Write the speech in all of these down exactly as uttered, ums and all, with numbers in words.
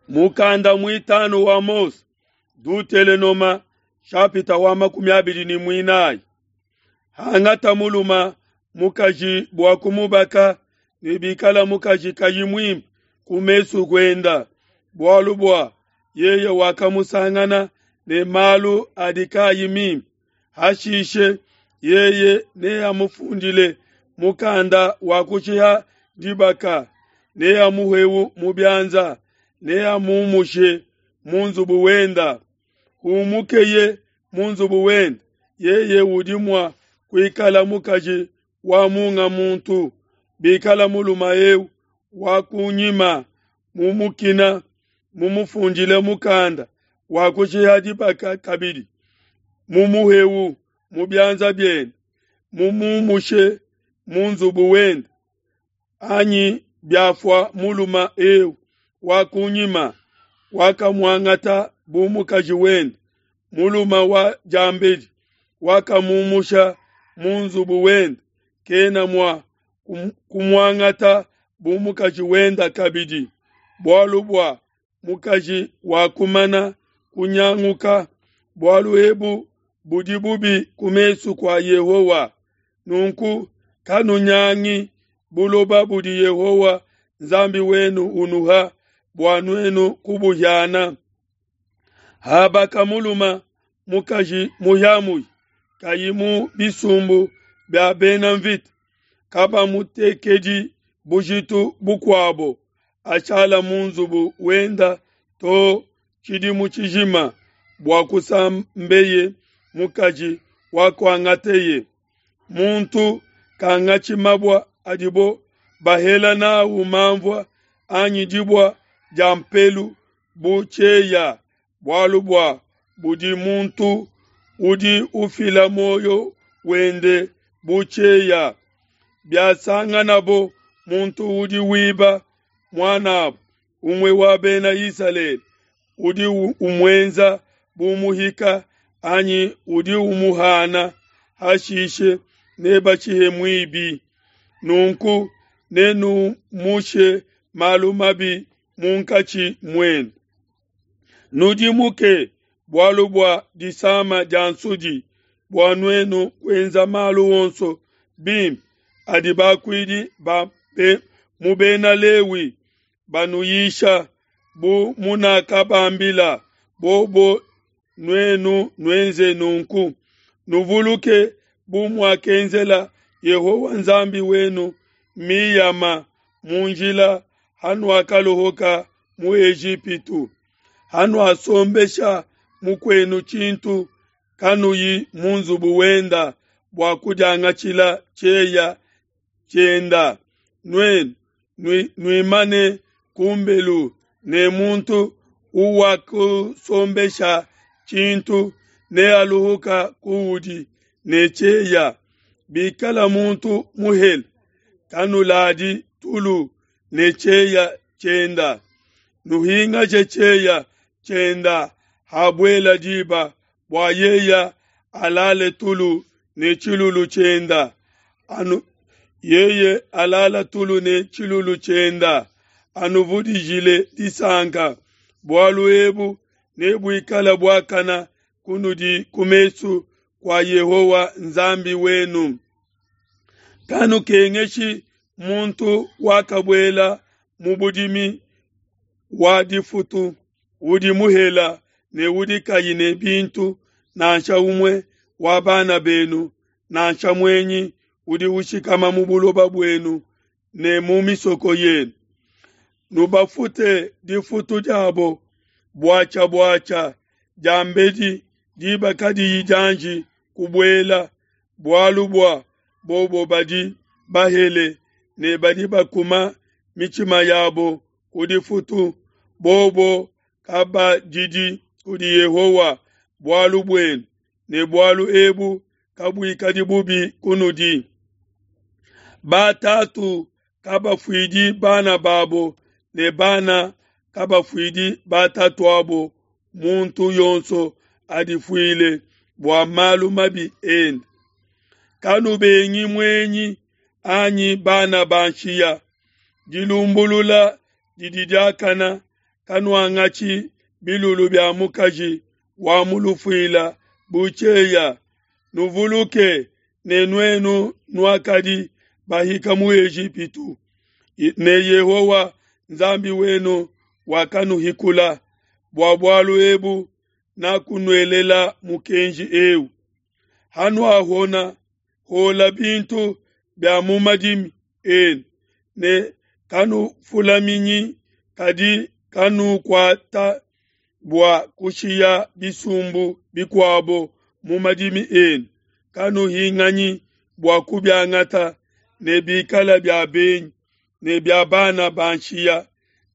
Mukanda mwitanu wa Mose, Dutelenoma shapita wa makumi abili ni mwinayi. Hangata muluma mukaji bwa kumubaka ne bikala mukaji kayi mwimpe ku mesu kwenda bwalu bwa yeye wakamusangana ne malu adi kayi mimpe. Hashishe yeye neamufundile mukanda wa kushiha dibaka, neamuhewu mu byanza, neamumushe mu nzubu wenda. Humukeye mu nzubu wenda, yeye udi mwa kuikala mukaji wa munga muntu. Bikala muluma eu wa kunyima mumukina mumufundile mukanda wa kushiha dibaka kabidi, mumuhewu mu byanza byende, mumumushe mu nzubu wenda. Anyi byafua muluma eu wa kunyima wakamuangata bu mukaji wenda, muluma wa jambedi wakamumusha mu nzubu wenda, kena mwa kumuangata bu mukaji wenda kabidi. Bwalu bwa mukaji wakumana kunyanguka, bwalu ebu budi bubi ku mesu kwa Yehowa. Nunku kanunyangi buloba budi Yehowa Nzambi wenu unuha bua nuenu kubuhyana. Habaka muluma mukaji muhyamuhi kayi mu bisumbu bya bena mvita, kabamutekedi bujitu bukwabo, ashala mu nzubu wenda to tshidimu tshijima bua kusambeye mukaji wakuangateye. Muntu kangatshi mabwa adibo bahela nawu mamvua anyi dibwa dia mpelu bu tshieya, bwalu bua budi muntu udi ufila moyo wende bu tshieya. Byasanganabo muntu udi wiba mwanabo umwe wa bena Isaleli, udi umwenza bu muhika anyi udi umuhana, hashishe nebatshihe mwibi. Nunku nenumushe malu mabi munkatshi mwenu. Nudimuke bwalu bwa disama dia nsudi, bua nuenu kuenza malu onso bimpe adi bakuidi ba be, mu bena Lewi banuyisha, bu munakabambila bobo nuenu nuenze nunku. Nuvuluke bu muakenzela Yehowa Nzambi wenu Miyama mu njila hanuakalohoka mu Ejipitu. Hanuasombesha mukwenu tshintu kanuyi mu nzubu wenda bua kudiangatshila tshieya tshienda. Nuenu nuimane kumbelu ne muntu uwakusombesha tshintu nealuhuka kuudi ne tshieya. Bikala muntu muhele, kanuladi tulu ne tshieya tshienda. Nuhingaje tshieya tshienda habuela diba bua yeya alale tulu ne tshilulu tshienda. Anu yeye alala tulu ne tshilulu tshienda, anuvudijile disanka. Bwalu ebu nebuikala buakana kunudi ku mesu kwa Yehowa Nzambi wenu. Kanukengeshi muntu wakabuela mu budimi wa difutu, udi muhela ne udi kayi ne bintu, nansha umwe wa bana benu, nansha mwenyi udi ushikama mu buloba bwenu ne mu misoko yenu. Nubafute difutu diabo bwacha bwacha diambedi diba kadiyi dianji kubuela, bwalu bua bobo badi bahele ne badi bakuma mitshima yabo ku difutu, bobo kabadidi kudi Yehowa bwalu bwenu, ne bwalu ebu kabuikadi bubi kunudi. Batatu kabafuidi bana babo ne bana kabafuidi batatu abo, muntu yonso adifuile bua malu mabi ende. Kanubengi mwenyi anyi bana ba nshiya. Dilumbulula didi diakana Kanuangatshi bilulu bia mukaji wa mu lufuila bu tshieya. Nuvuluke ne nuenu nuakadi bahika mu Ejipitu, ne Yehowa Nzambi wenu wakanuhikula. Bua bualu ebu nakunuelela mukenji eu. Hanuahona hola bintu bia mu madimi enu, ne kanufulaminyi, kadi kanukuata bua kushiya bisumbu bikuabo mu madimi enu, kanuhinganyi bua kubiangata, ne bikala bia benyi, ne bia bana ba nshiya,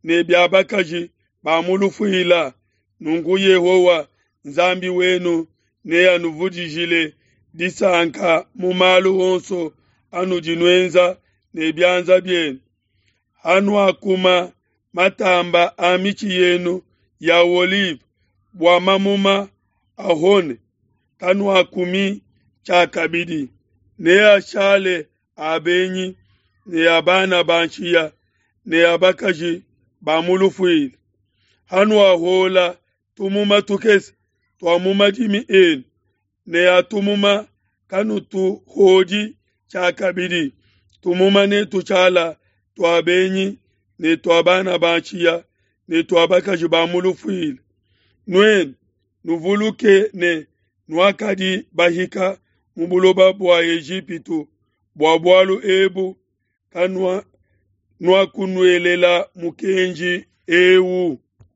ne bia bakaji ba mu lufuila. Nunku Yehowa Nzambi wenu neanuvudijile disanka mu malu onso anudi nuenza ne bianza bienu. Hanuakuma matamba a mitshi yenu ya olive bua mamuma ahone, kanuakumi tshiakabidi, neashale a benyi ne a bana ba nshiya ne a bakaji ba mu lufuila. Hanuahuola tumuma tukese tua mu madimi enu ne a tumuma kanutuhodi tshiakabidi, tumuma netushala tua benyi ne tua bana ba nshiya ne tua bakaji ba mu lufuila. Nuenu nuvuluke ne nuakadi bahika mu buloba bua Ejipitu, bua bualu ebu kanua nuakunuelela mukenji eu.